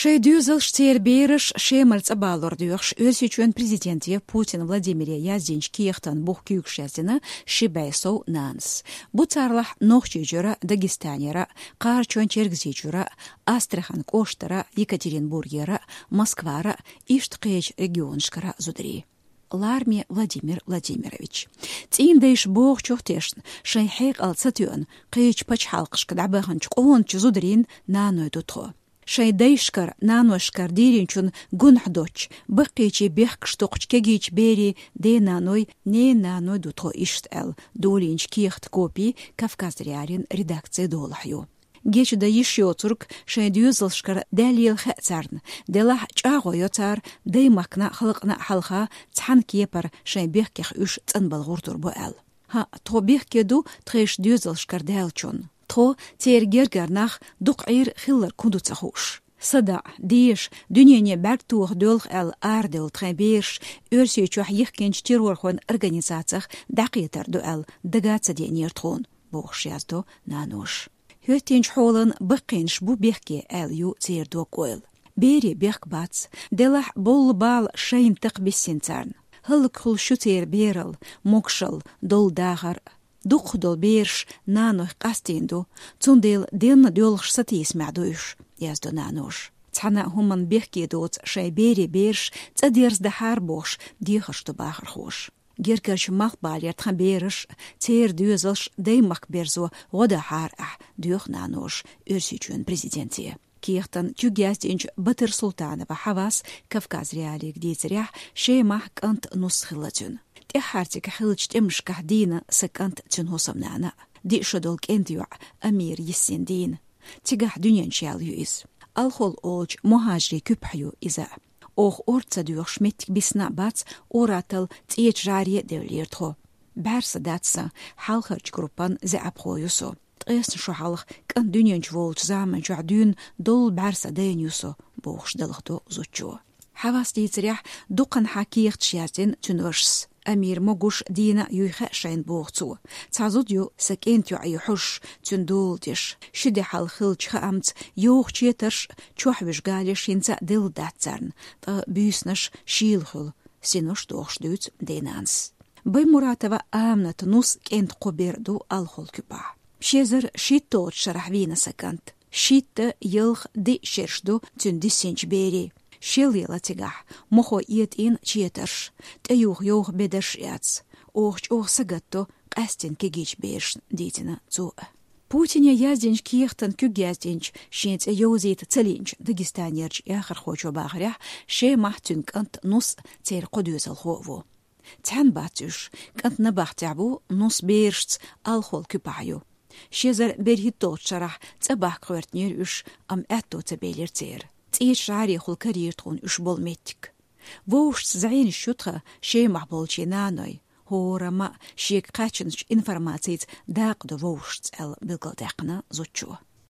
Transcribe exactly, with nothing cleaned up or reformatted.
Шайн доьзалш, церан бераш Шемара цӀа балор доьхуш, Оьрсийчоьнан президенте Путин Владимире яздинчу кехатан бух куьйгаш яздина ши бӀе сов нанас. Бу царлахь Нохчийчуьра, Дагестанера, Кхарачойн-Чергазийчуьра, Астрахань кӀоштара, Екатеринбургера, Москвара, иштта кхечу регионашкара зударий. Ларми Владимир Владимирович. ЦӀийндайша бохучух тешна, шайн хьекъал ца тоьъна, кхечу пачхьалкхашка дӀабаханчу къоначу зударийн наной ду тхо. Шайн дайшкара, наношкара дийринчун гунахь доцчу, баккхийчийн бехкаш токхучу кегийчу берийн ден-наной, ненан наной ду тхо иштта аьлла, долийначу кехатан копи Кавказ.Реалиин редакцин долахь ю. Гечдан йиш йоцург шайн доьзалшкара даьлла лела хаьа царна, делахь а чӀагӀо йо цара даймахкана а, халкъана а хьалха цхьана кепара шайн бехкех уьш цӀанбала гӀертар бу аьлла. ХӀаъ, тхо бехке ду тхайн доьзалшкара даьллачунна. Тхо, церан гергара нах, дукха Ӏийра хилларг хӀун ду ца хууш. СадаӀа, деша, дуьнене бӀаьрг тоха доьлху аьлла арадевлла тхайн бераш Оьрсийчохь йихкинчу террорхойн организацех дӀакхетар ду аьлла дага а ца деанера тхуна, бохуш яздо наноша. ХӀоьттинчу хьолан баккхийнаш бу бехке аьлла ю церан дог-ойла. Берийн бехк бац, делахь а бовла бала шайна такха биссина царна. ХӀаллакьхуьлуш ю церан бералла, могушалла, долу дахар. Дукхахдолу бераш нанойх къастийна ду, цундела денна доьлхуш сатийсамехь ду уьш, яздо наноша. Цхьана а хӀуманна бехке доцу шайн берийн бераш цӀа дерзадахьара бохуш, дехарш ду бахархоша. Гергарчу малхбалера тхан бераш, церан доьзалш даймахка берзо гӀо дахьара ахь, доьху наноша Оьрсийчоьнан президенте. Кехатан куьг яздинчу Батырсултанова Хьавас Кавказ.Реалиига дийцарехь, Шемахь кӀант, нус хилла цуьнан. ТӀаьххьара цига хиллачу тӀемашкахь дийна сан кӀант, цуьнан хӀусамнана а. Диъ шо долу кӀентан йоӀ Амира йиссина дийна. Цигахь дуьнен чу яьлла ю иза. Алхол олучу мухӀажарийн куьпахь ю иза. Оха орца ца доьхуш меттиг бисина а бац, ур-атталла ЦӀечу ЖӀаре а девллера тхо. БӀаьрса дац сан, хьалхарчу группан заьӀапхо ю со. Ткъесна шо хьалха кӀант дуьнен чу волучу заманчохь дуьйна долу бӀаьрса дайна ю со, бохуш далхадо зудчо. Хьавас дийцарехь, дукханхьа кехаташ яздина цуьнан вашас. Амира могуш, дийна а юй хаьа шайна, боху цо. Цхьа зуда ю сан кӀентан йоӀе хьожуш, цуьнан дола деш. Ши де хьалха хиллачу хаамца, йовха четарш а, чохь вуьжу галеш хӀинца а делла дац царна, ткъа буьйсанаш шийла хуьлу, синош дохуш дуьйцу ден-нанас. Баймуратова Аминатан нус, кӀентан кхо бер а ду алхол куьпахь. Ши эзар шийтталгӀачу шарахь вийна сан кӀант. Шийтта, ялх, диъ шераш ду цуьнан диссинчу берийн. Шел яла цигахь, мохо этӀийна четарш, тӀеюха йовха бедарш а яц. Оха чӀогӀа сагатдо къаьсттина кегийчу берашна, дийцина цо. Путине яздинчу кехатан куьг яздинчу, шен цӀе йовзийта ца лиъначу Дагестанерчу яхархочо бахарехь, Шемахь цуьнан кӀант, нус, церан кхо доьзалхо а ву. Цхьаьна бац уьш, кӀант набахтехь ву, нус берашца алхол куьпахь ю. Ши эзар берхӀитталгӀачу шарахь цӀа бахка гӀоьртинера уьш, амма аьтто ца белира церан. ЦӀечу ЖӀарехула карийра тхуна уьш болу меттиг. Вовшашца зӀенаш ю тхан Шемахь болчийн нанойн. ХӀораммо а шега кхаьчначу информацица дакъа до вовшашца, аьлла билгалдаьккхина зудчо.